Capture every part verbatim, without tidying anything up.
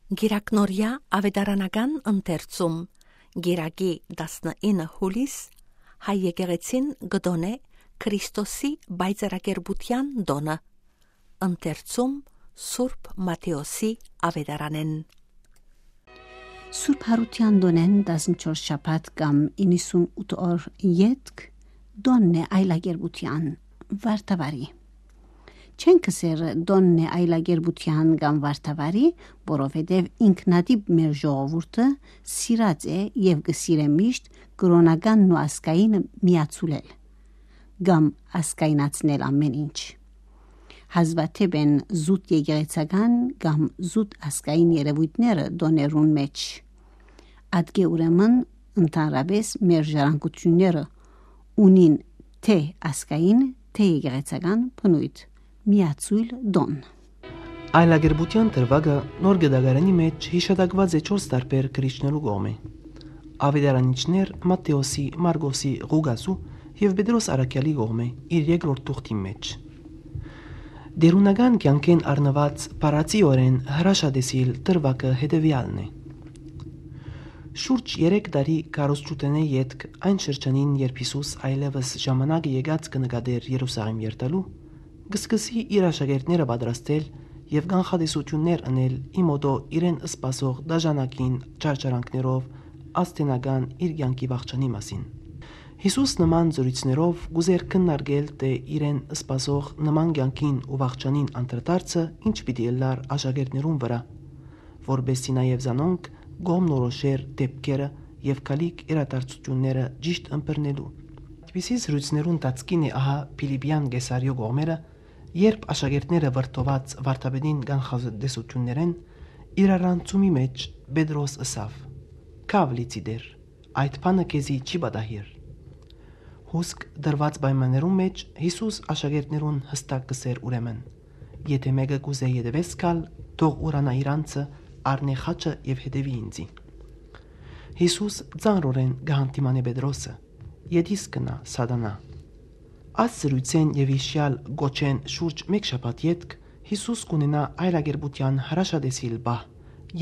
Կիրակնորեայ աւետարանական ընթերցում։ Կիրակի տասնինը յուլիս հայ եկեղեցին կը տօնէ Քրիստոսի պայծառակերպութեան տօնը։ Ընթերցում Սուրբ Մատթէոսի աւետարանէն։ Սուրբ Յարութեան տօնէն տասնչորս շաբաթ կամ իննսունութ օր ետք տօնն է այլակերպութեան, վարդավարի։ Չենք ըսեր տօնն է այլակերպութեան կամ վարդավարի, որովհետեւ ինքնատիպ մեր ժողովուրդը սիրած է եւ կը սիրէ միշտ կրօնականն ու ազգայինը միացուլել կամ ազգայնացնել ամէն ինչ։ Հազվադէպ են զուտ եկեղեցական կամ զուտ ազգային երեւոյթները տօներուն մէջ։ Ատկէ ուրեմն ընդհանրապէս մեր ժառանգութիւնները ունին թէ ազգային, թէ եկեղեցական բնոյթ, միացոյլ տօն։ Այլակերպութեան դրուագը Նոր Գտակարանի մէջ յիշատակուած է չորս տարբեր գրիչներու կողմէ. աւետարանիչներ Մատթէոսի, Մարկոսի, Ղուկասու եւ Պետրոս Առաքեալի կողմէ իր երկրորդ թուղթին մէջ։ Տէրունական կեանքէն առնուած բառացիօրէն հրաշատեսիլ դրուագը հետեւեալն է։ Շուրջ երեք տարի քարոզչութենէ ետք, այն շրջանին, երբ Յիսուս այլեւս ժամանակը եկած կը նկատէր Երուսաղէմ երթալու, կը սկսի իր աշակերտները պատրաստել եւ կանխատեսութիւններ ընել ի մօտոյ իրեն սպասող դաժանակին չարչարանքներով, աստենական իր կեանքի վախճանի մասին։ Յիսուս նման զրոյցներով կ'ուզէր քննարկել թէ իրեն սպասող նման կեանքին ու վախճանին անդրադարձը ինչ պիտի ըլլար աշակերտներուն վրայ, որպէս զի նաեւ զանոնք կողմնորոշէր դէպքերը եւ գալիք իրադարձութիւնները ճիշտ ըմբռնելու։ Այդպիսի զրոյցներուն ընթացքին է ահա Փիլիպեան Կեսարիոյ կողմերը, երբ աշակերտները վրդոված վարդապետին կանխատեսութիւններէն իրարանցումի մէջ Պետրոս ըսաւ. «Քա՛վ լիցի, Տէր, այդ բանը քեզի չի պատահիր»։ Հուսկ դրուած պայմաններուն մէջ Յիսուս աշակերտներուն յստակ կ'ըսէր ուրեմն. «Եթէ մէկը կ'ուզէ ետեւէս գալ, թող ուրանայ իր անձը, առնէ խաչը եւ հետեւի ինծի»։ Յիսուս ծանրօրէն կը յանդիմանէ Պետրոսը. «Ետիս գնա, Սատանա»։ Այս զրոյցէն եւ յիշեալ կոչէն շուրջ մէկ շաբաթ ետք Յիսուս կ'ունենայ այլակերպութեան հրաշատեսիլ պահ,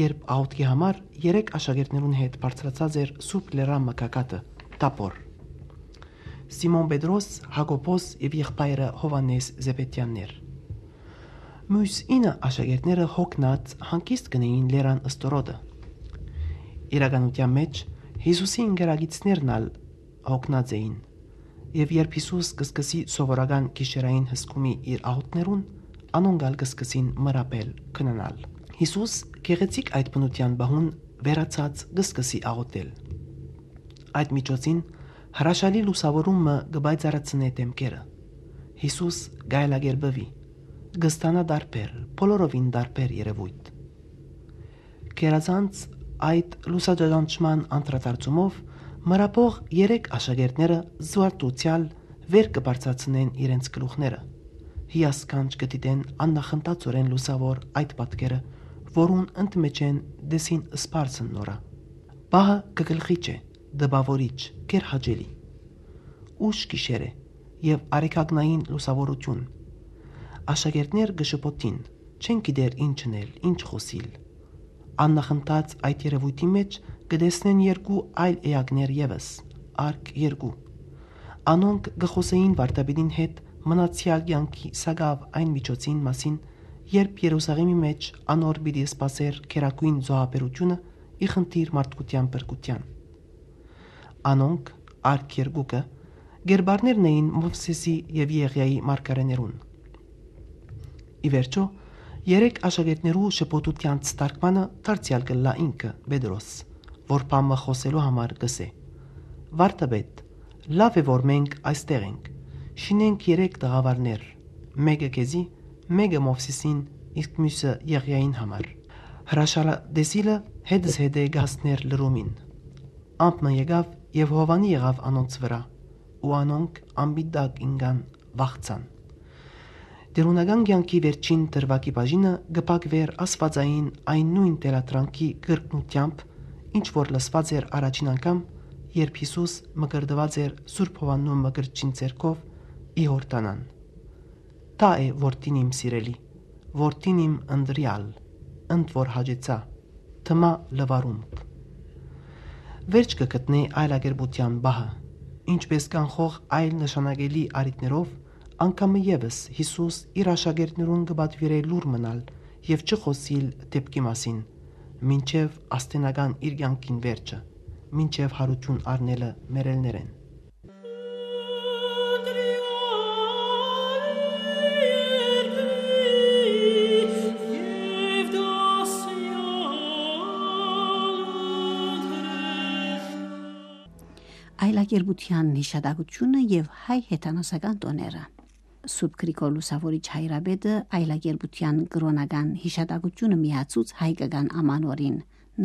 երբ աղօթքի համար երեք աշակերտներուն հետ բարձրացած էր Սուրբ Լերան մը գագաթը՝ Թաբոր։ Սիմոն Պետրոս, Յակոբոս եւ եղբայրը Յովհաննէս Զեբեդեաններ։ Միւս ինը աշակերտները յոգնած հանգիստ կ'ընէին լերան ստորոտը։ Իրականութեան մէջ Յիսուսի ընկերագիծներն ալ յոգնած էին, եւ երբ Յիսուս կը սկսի սովորական գիշերային հսկումի իր աղօթքներուն, անոնք ալ կը սկսին մրապել, քնանալ։ Յիսուս գեղեցիկ այդ բնութեան պահուն վերացած կը սկսի աղօթել։ Այդ միջոցին հրաշալի լուսաւորում մը կը պայծառացնէ դէմքերը։ Յիսուս կայլակերպուի, կը ստանայ տարբեր, բոլորովին տարբեր երեւոյթ։ Գերազանց այդ լուսաճանչման անդրադարձումով մրապող երեք աշակերտները զուարթուցեալ վեր կը բարձրացնեն իրենց գլուխները։ Հիասքանչ կը դիտեն աննախընթացօրէն լուսաւոր այդ պատկերը, որուն ընդմէջէն դեսին սպարս են նորը։ Պահը կը գլխիչ է, տպաւորիչ, գերհաճելի։ Ուշ գիշեր է եւ արեգակնային լուսաւորութիւն։ Աշակերտներ կը շփոթին, չեն գիտեր ինչ ընել, ինչ խօսիլ։ Աննախընթաց այդ երեւոյթի մէջ կը տեսնեն երկու այլ էակներ եւս, արք երկու։ Անոնք կը խօսէին վարդապետին հետ մնացեալ կեանքի սակաւ այն միջոցին մասին, երբ Երուսաղէմի մէջ անոր պիտի սպասէր գերագոյն զոհաբերութիւնը ի խնդիր մարդկութեան փրկութեան։ Անոնք, արք երկուքը, կերպարներն էին Մովսէսի եւ Եղիայի մարգարէներուն։ Ի վերջոյ, երեք աշակերտներու շփոթութեանց թարգմանը դարձեալ կ'ըլլայ ինքը, Պետրոս, որ բան մը խօսելու համար կ'ըսէ. «Վարդապետ, լաւ է, որ մենք այստեղ ենք, շինենք երեք տաղաւարներ, մէկը քեզի, մէկը Մովսէսին, իսկ միւսը Եղիային համար»։ Հրաշալի տեսիլը հետզհետէ կ'հասներ լրումին։ Ամպ մը եկաւ եւ Յովհաննի եղաւ անոնց վրայ, ու անոնք ամպի տակ ինկան, վախցան։ Տէրունական կեանքի վերջին դրուագի բաժինը կը փակուէր աստուածային այն նոյն թելադրանքի կրկնութեամբ, ինչ որ լսուած էր առաջին անգամ, երբ Յիսուս մկրտուած էր Սուրբ Յովհաննու մկրտչին ձեռքով ի Յորդանան. «Դա է որդին իմ սիրելի, որդին իմ ընտրեալ, ընդ որ հաճեցայ»։ Թմայ լուարումք։ Վերջ կը գտնէ այլակերպութեան պահը։ Ինչպէս կանխող այլ նշանակելի առիթներով, անգամը եւս Յիսուս իր աշակերտներուն կը պատուիրէ լուռ մնալ եւ չխօսիլ դէպքի մասին, մինչեւ աստենական իր կեանքին վերջը, մինչեւ յարութիւն առնելը մեռելներէն։ Այլակերպութեան յիշատակութիւնը եւ հայ հեթանոսական տօները։ Սուրբ Գրիգոր Լուսաւորիչ հայրապետը այլակերպութեան կրօնական յիշատակութիւնը միացուց հայկական ամանորին,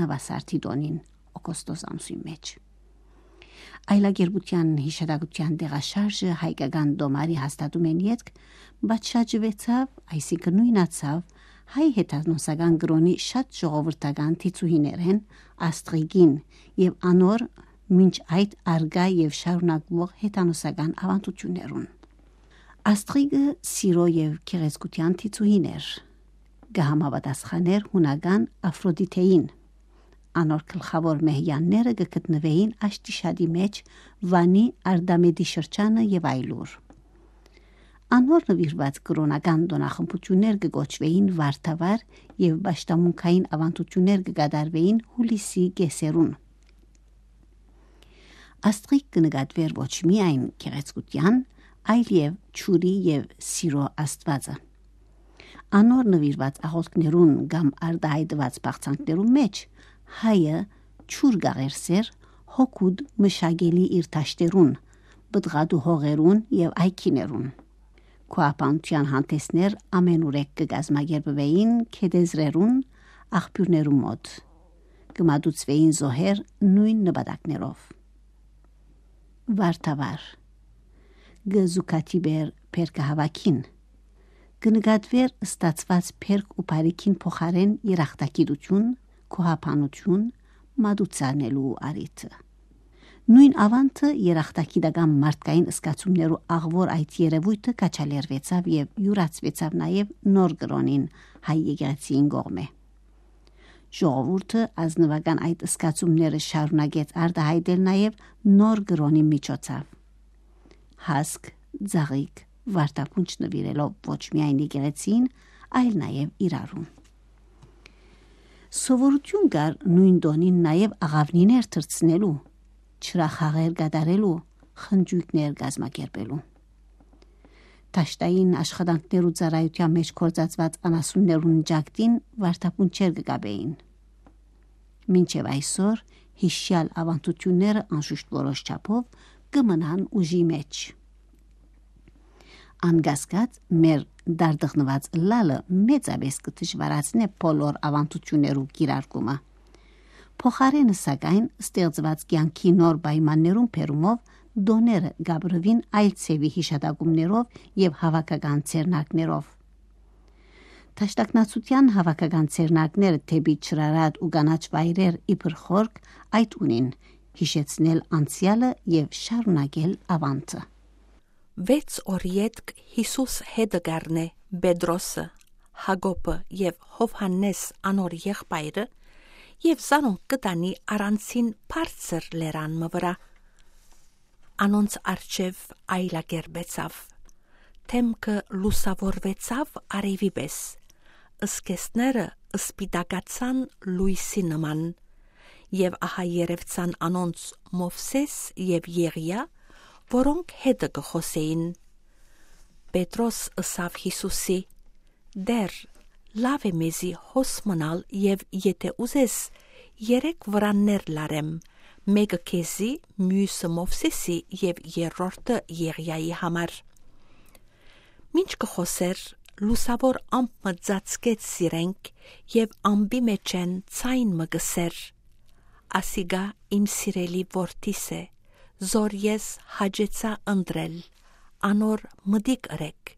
Նուասարդի տօնին, օգոստոս ամսին մէջ։ Այլակերպութեան յիշատակութեան տեղաշարժը հայկական տոմարի հաստատումէն ետք պատշաճուեցաւ, այսինքն նոյնացաւ հայ հեթանոսական կրօնի շատ ժողովրդական դիցուհիներէն Աստղիկին եւ անոր մինչ այդ առկայ եւ շարունակուող հեթանոսական աւանդութիւններուն։ Աստղիկը սիրոյ եւ գեղեցկութեան դիցուհին էր։ Կը համապատասխանէր յունական افرودیته'ին։ Անոր գլխաւոր մեհեանները կը գտնուէին Աշտիշատի մէջ, Վանի, Արդամետի շրջանը եւ այլուր։ Անոր նուիրուած կրօնական տօնախմբութիւններ կը կոչուէին Վարդավառ եւ պաշտամունքային աւանդութիւններ կը կատարուէին յուլիսի կէսերուն։ Աստղիկ կը նկատուէր ոչ միայն գեղեցկութեան, այլ եւ ջուրի եւ սիրոյ աստուածը։ Անոր նուիրուած աղօթքներուն կամ արտայայտուած բաղձանքներուն մէջ հայը ջուր կ'աղերսէր հոգուտ մշակելի իր դաշտերուն, պտղատու հողերուն եւ այգիներուն։ Քուաբանութեան հանդէսներ ամենուրեք կը կազմակերպուէին գետեզրերուն, աղբիւրներուն մօտ։ Կը մատուցուէին զոհեր նոյն նպատակներով։ Վարդավառ։ Կը զուգադիպէր բերքը հաւաքին։ Կը նկատուէր ստացուած բերք ու բարիքին փոխարէն երախտագիտութիւն, գոհաբանութիւն, մատուցանելու առիթը։ Նոյն աւանդը երախտագիտական մարդկային զգացումներու աղուոր այդ երեւոյթը քաջալերուեցաւ եւ իւրացուեցաւ նաեւ նոր կրօնին հայ եկեղեցիին կողմէ։ Ժողովուրդը ազնուական այդ զգացումները շարունակեց արտայայտել նաեւ նոր կրօնի միջոցով։ Հասկ, ծաղիկ, վարդապունչ նուիրելով ոչ միայն եկեղեցին, այլ նաեւ իրարուն։ Սովորութիւն կար նոյն տօնին նաեւ աղաւնիներ թռցնելու, ջրախաղեր կատարելու, խնճոյքներ կազմակերպելու։ Դաշտային աշխատանքներու ծառայութեան մէջ գործածուած անասուններուն ճակտին վարդապունչեր կը կապէին։ Մինչեւ այսօր յիշեալ աւանդութիւնները անշուշտ որոշ չափով կը մնան ուժի մէջ։ Անկասկած, մեր դարդղնուած ըլլալը մեծապէս կը դժուարացնէ բոլոր աւանդութիւններու կիրարկումը։ Փոխարէնը, սակայն, ստեղծուած կեանքի նոր պայմաններուն բերումով տօները կ'ապրուին այլ ձեւի յիշատակումներով եւ հաւաքական ձեռնարկներով։ Դաշնակցութեան հաւաքական ձեռնարկները դէպի ջրառատ ու կանաչ վայրեր իբր խորք այդ ունին՝ յիշեցնել անցեալը եւ շարունակել աւանդը։ Վեց օր ետք Յիսուս հետը կ'առնէ Պետրոսը, Յակոբը եւ Յովհաննէս անոր եղբայրը եւ զանոնք կը տանի առանձին բարձր լերան մը վրայ։ Անոնց առջեւ այլակերպեցաւ։ Դէմքը լուսաւորուեցաւ արեւի պէս, զգեստները սպիտակացան լոյսի նման, եւ ահա երեւցան անոնց Մովսէս եւ Եղիա, որոնք հետը կը խօսէին։ Պետրոս ըսաւ Յիսուսի. «Տէր, լաւ է մեզի հոս մնալ եւ, եթէ ուզես, երեք վրաններ լարեմ, մէկը քեզի, միւսը Մովսէսի եւ երրորդը Եղիայի համար»։ Մինչ կը խօսէր, լուսաւոր ամպ մը ծածկեց զիրենք եւ ամպի մէջէն ձայն մը կ'ըսէր. «Ասիկա իմ սիրելի որդիս է, զոր ես հաճեցայ ընտրել, անոր մտիկ ըրէք»։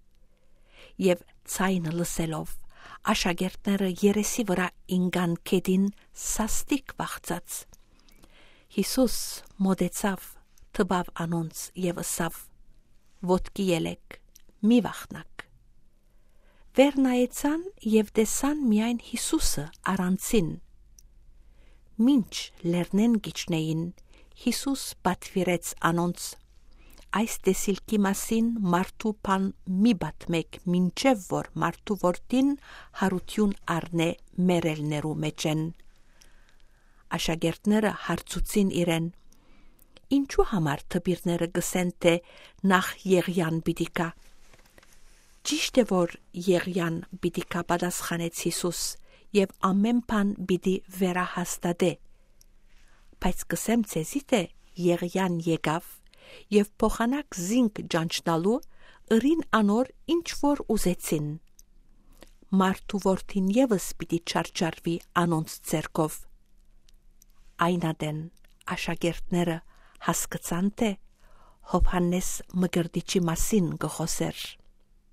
Եւ ձայնը լսելով, աշակերտները երեսի վրայ ինկան գետին սաստիկ վախցած։ Յիսուս մօտեցաւ, տպաւ անոնց եւ ըսաւ. «Ոտքի ելէք, մի վախնաք»։ Վեր նայեցան եւ տեսան միայն Յիսուսը առանձին։ Մինչ լեռնէն կ'իջնէին, Յիսուս պատուիրեց անոնց. «Այս տեսիլքի մասին մարդու բան մի պատմէք, մինչեւ որ մարդու որդին յարութիւն առնէ մեռելներու մէջէն»։ Աշակերտները հարցուցին իրեն. «Ինչու համար դպիրները կ'ըսեն թէ նախ Եղիան պիտի գայ»։ «Ճիշդ է որ Եղիան պիտի գայ», պատասխանեց Յիսուս, «եւ ամէն բան պիտի վերահաստատէ։ Բայց կ'ըսեմ ձեզի թէ Եղիան եկաւ եւ փոխանակ զինք ճանչնալու՝ ըրին անոր ինչ որ ուզեցին։ Մարդու որդին եւս պիտի չարչարուի անոնց ձեռքով»։ Այն ատեն աշակերտները հասկցան թէ Յովհաննէս Մկրտիչի մասին կը խօսէր։